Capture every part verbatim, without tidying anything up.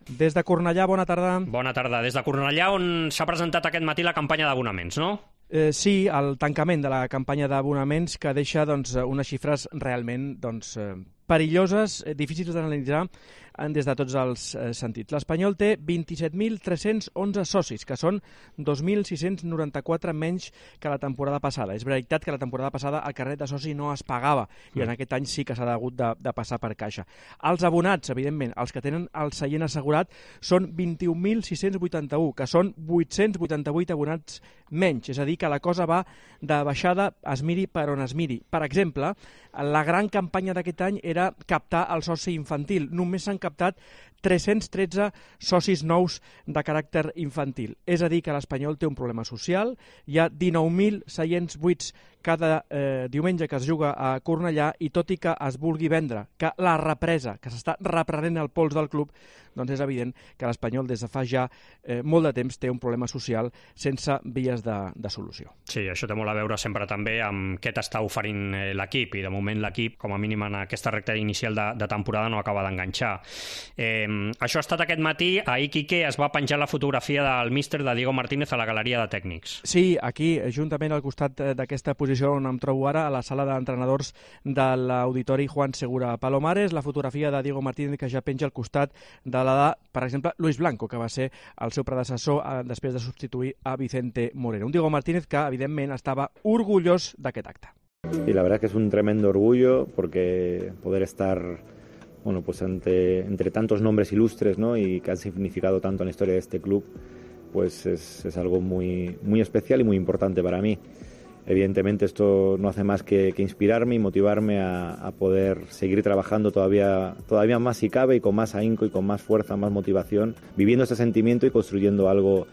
Des de Cornellà, bona tarda. Bona tarda. Des de Cornellà, on s'ha presentat aquest matí la campanya d'abonaments, no? Eh, sí, el tancament de la campanya d'abonaments que deixa doncs, unes xifres realment doncs, eh, perilloses, eh, difícils d'analitzar des de tots els eh, sentits. L'Espanyol té vint-i-set mil tres-cents onze socis, que són dos mil sis-cents noranta-quatre menys que la temporada passada. És veritat que la temporada passada el carnet de soci no es pagava i en aquest any sí que s'ha hagut de, de passar per caixa. Els abonats, evidentment, els que tenen el seient assegurat, són vint-i-un mil sis-cents vuitanta-u, que són vuit-cents vuitanta-vuit abonats menys. És a dir, que la cosa va de baixada, es miri per on es miri. Per exemple, la gran campanya d'aquest any era captar el soci infantil. Només s'han captat tres-cents tretze socis nous de caràcter infantil. És a dir, que l'Espanyol té un problema social. Hi ha dinou mil seients buits cada eh, diumenge que es juga a Cornellà i tot i que es vulgui vendre que la represa, que s'està reprenent el pols del club, doncs és evident que l'Espanyol des de fa ja eh, molt de temps té un problema social sense vies de, de solució. Sí, això té molt a veure sempre també amb què t'està oferint l'equip i de moment l'equip, com a mínim en aquesta recta inicial de, de temporada, no acaba d'enganxar. Eh, això ha estat aquest matí. Ahir Quique es va penjar la fotografia del míster de Diego Martínez a la galeria de tècnics. Sí, aquí, juntament al costat d'aquesta posició on em trobo ara, a la sala d'entrenadors de l'Auditori Juan Segura Palomares, la fotografia de Diego Martínez que ja penja al costat de la de, per exemple, Luis Blanco, que va ser el seu predecessor eh, després de substituir a Vicente Moreno. Un Diego Martínez que, evidentment, estava orgullós d'aquest acte. Y la verdad que es un tremendo orgullo porque poder estar bueno, pues ante, entre tantos nombres ilustres, ¿no? Y que han significado tanto en la historia de este club, pues es, es algo muy, muy especial y muy importante para mí. Evidentemente esto no hace más que, que inspirarme y motivarme a, a poder seguir trabajando todavía, todavía más si cabe y con más ahínco y con más fuerza, más motivación, viviendo este sentimiento y construyendo algo,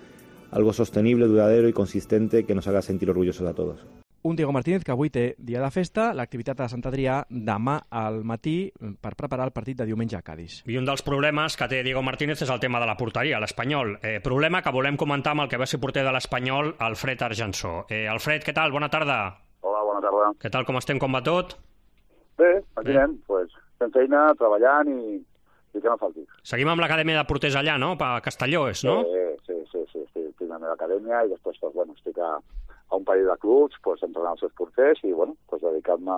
algo sostenible, duradero y consistente que nos haga sentir orgullosos a todos. Un Diego Martínez que avui té dia de festa, l'activitat a Sant Adrià demà al matí per preparar el partit de diumenge a Cádiz. I un dels problemes que té Diego Martínez és el tema de la porteria, l'Espanyol. Eh, problema que volem comentar amb el que va ser porter de l'Espanyol, Alfred Argensó. Eh, Alfred, què tal? Bona tarda. Hola, bona tarda. Què tal, com estem, com va tot? Bé, aquí anem, pues, fent feina, treballant i, i que no falti. Seguim amb l'acadèmia de porters allà, no? A Castelló, és, no? Sí, sí, sí, sí, estic, estic a la meva acadèmia i després, pues, bueno, estic a, a un parell de clubs, pues, entrenant els seus porters i, bueno, pues, dedicant-me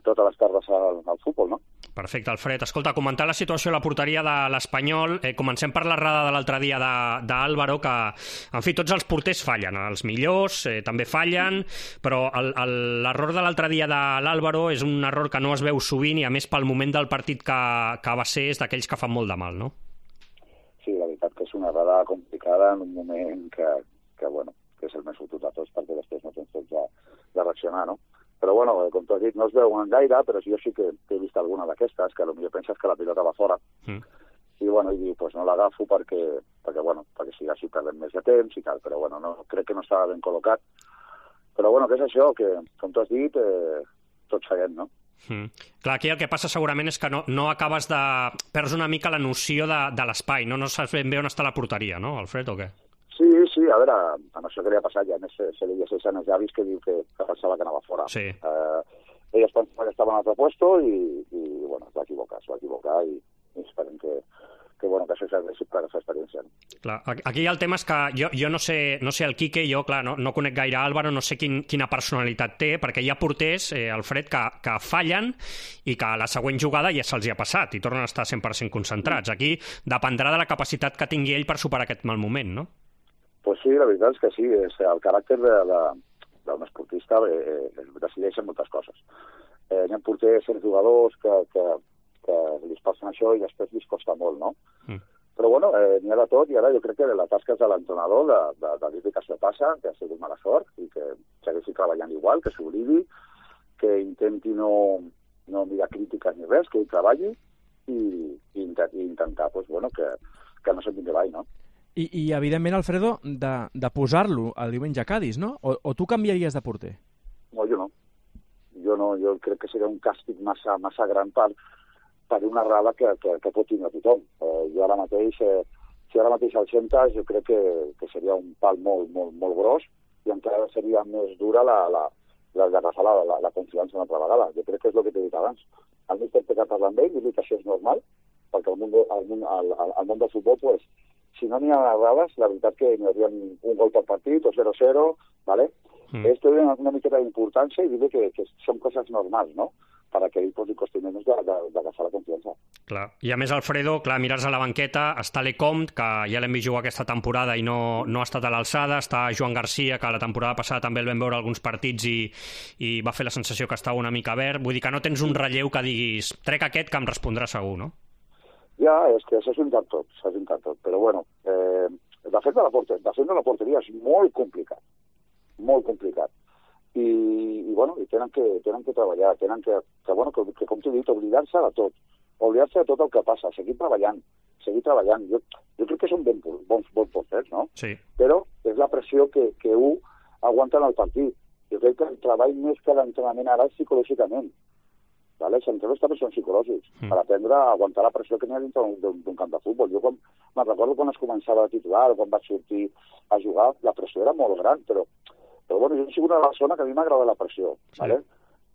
totes les tardes al, al futbol, no? Perfecte, Alfred. Escolta, comentar la situació a la porteria de l'Espanyol. Eh, comencem per l'errada de l'altre dia d'Álvaro, que, en fi, tots els porters fallen. Els millors eh, també fallen, però l'error de l'altre dia de l'Álvaro és un error que no es veu sovint i, a més, pel moment del partit que, que va ser, és d'aquells que fan molt de mal, no? Sí, la veritat que és una errada complicada en un moment que, que bueno, que és el més fotut de tots, perquè després no tens temps de, de reaccionar, no? Però, bueno, com tu has dit, no es veuen gaire, però jo sí que he vist alguna d'aquestes, que potser penses que la pilota va fora. Mm. I, bueno, i dic, pues no l'agafo perquè, perquè, bueno, perquè si així perdem més de temps i tal, però, bueno, no, crec que no estava ben col·locat. Però, bueno, què és això? Que, com tu has dit, eh, tot seguem, no? Mm. Clar, aquí el que passa segurament és que no, no acabes de... perds una mica la noció de, de l'espai, no? No saps ben bé on està la porteria, no, Alfred, o què? Sí, sí, a veure, amb això que li ha passat ja, a més se, se li llegeix als llavis que diu que, que pensava que anava fora. Sí. Eh, ell es pensava que estava en un altre puesto i, i bueno, es va equivocar, es va equivocar i, i esperem que, que, bueno, que això serveixi per aquesta experiència. No? Clar, aquí el tema és que jo, jo no sé, no sé el Quique, jo, clar, no, no conec gaire Álvaro, no sé quin, quina personalitat té, perquè hi ha porters, eh, Alfred, que, que fallen i que a la següent jugada ja se'ls hi ha passat i tornen a estar cent per cent concentrats. Aquí dependrà de la capacitat que tingui ell per superar aquest mal moment, no? Pues sí, la veritat és que sí, és el caràcter de, de, d'un esportista eh, decideix en moltes coses. Eh, hi ha porters, certs jugadors que, que, que li passen això i després li costa molt, no? Mm. Però bueno, eh, n'hi ha de tot i ara jo crec que la tasca és de l'entrenador de, de, de dir que això passa, que ha sigut mala sort i que segueixi treballant igual, que s'oblidi, que intenti no, no mirar crítiques ni res, que ell treballi i, i, i intentar pues, bueno, que, que no se'n vingui avall, no? I, i evidentment, Alfredo, de, de posar-lo el diumenge a Cádiz, no? O, o tu canviaries de porter? No, jo no. Jo no, jo crec que seria un càstig massa, massa gran per, per una errada que, que, que pot tindre tothom. Eh, jo ara mateix, eh, si ara mateix el sentes, jo crec que, que seria un pal molt, molt, molt gros i encara seria més dura la, la, la, d'agafar la, la, la confiança una altra vegada. Jo crec que és el que t'he dit abans. El míster té que parlar amb ell, dir que això és normal, perquè el món, el món, el, el món del futbol, pues, si no n'hi ha errades, la veritat que n'hi hauria un gol per partit o zero cero, ¿vale? Mm. Esto és una miqueta d'importància i dir que, que són coses normals, no?, per a que ell posi costuments d'agafar la confiança. Clar. I a més, Alfredo, clar, mires a la banqueta, està Lecomte, que ja l'hem vist jugar aquesta temporada i no, no ha estat a l'alçada, està Joan Garcia, que la temporada passada també el vam veure alguns partits i, i va fer la sensació que estava una mica verd. Vull dir que no tens un relleu que diguis trec aquest que em respondrà segur, no? Ja, és que s'ha juntat tot, s'ha juntat tot. Però bueno, eh, de fet de la porteria, de fet de la porteria és molt complicat, molt complicat. I, i bueno, i tenen que, tenen que treballar, tenen que, que, bueno, que, que com t'he dit, oblidar-se de tot, oblidar-se de tot el que passa, seguir treballant, seguir treballant. Jo, jo crec que són ben, bons, bons porters, no? Sí. Però és la pressió que, que un aguanta en el partit. Jo crec que el treball més que l'entrenament ara és psicològicament. Vale? Els entrenadors també són psicològics, mm. per aprendre a aguantar la pressió que n'hi ha dintre d'un camp de futbol. Jo quan, me'n recordo quan es començava a titular, quan vaig sortir a jugar, la pressió era molt gran, però Però bueno, jo he sigut una persona que a mi m'agrada la pressió, sí. ¿Vale?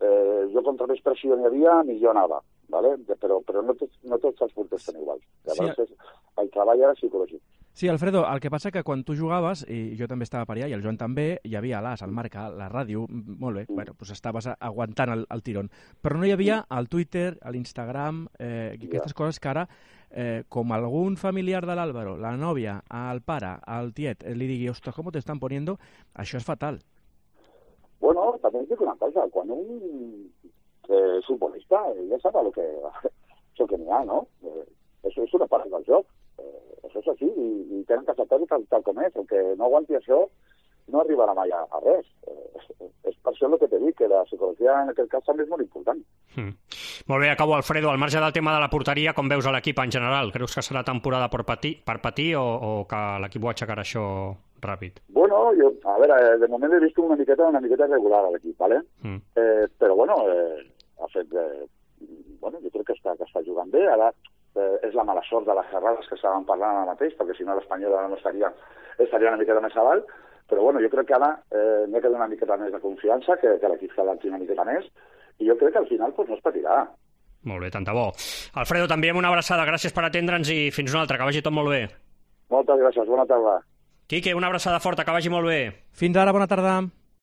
Eh, jo contra més pressió n'hi havia, millor anava, ¿vale? Però, però no, tots, no tots els porters són iguals. Llavors, sí. és, el treball era psicològic. Sí, Alfredo, el que passa que quan tu jugaves, i jo també estava per allà, i el Joan també, hi havia l'As, el Marca, la ràdio, molt bé, mm. bueno, doncs estaves aguantant el, el tirón. Però no hi havia el Twitter, l'Instagram, eh, aquestes yeah. coses que ara, eh, com algun familiar de l'Álvaro, la nòvia, el pare, el tiet, li digui, ostres, com te estan poniendo, això és fatal. Bueno, també dic una cosa, quan un eh, és futbolista, ja sap el que, el que n'hi ha, no? Eh, això és una part del joc. Eh, això és així, i, i tenen que acceptar-ho tal, tal com és. El que no aguanti això no arribarà mai a, a res. Eh, és, és per això el que t'he dit, que la psicologia en aquest cas també és molt important. Mm. Molt bé, acabo, Alfredo. Al marge del tema de la porteria, com veus a l'equip en general? Creus que serà temporada per patir, per patir o, o que l'equip ho aixecarà això ràpid? Bueno, jo, a veure, de moment he vist una miqueta, una miqueta regular a l'equip, ¿vale? Mm. Eh, però bueno, eh, ha fet... Eh, bueno, jo crec que està, que està jugant bé. Ara eh, és la mala sort de les errades que estàvem parlant ara mateix, perquè si no l'Espanyol no estaria, estaria una miqueta més avall, però bueno, jo crec que ara eh, n'hi ha que donar una miqueta més de confiança, que, que l'equip s'adapti una miqueta més, i jo crec que al final pues, no es patirà. Molt bé, tant de bo. Alfredo, també amb una abraçada, gràcies per atendre'ns i fins una altra, que vagi tot molt bé. Moltes gràcies, bona tarda. Quique, una abraçada forta, que vagi molt bé. Fins ara, bona tarda.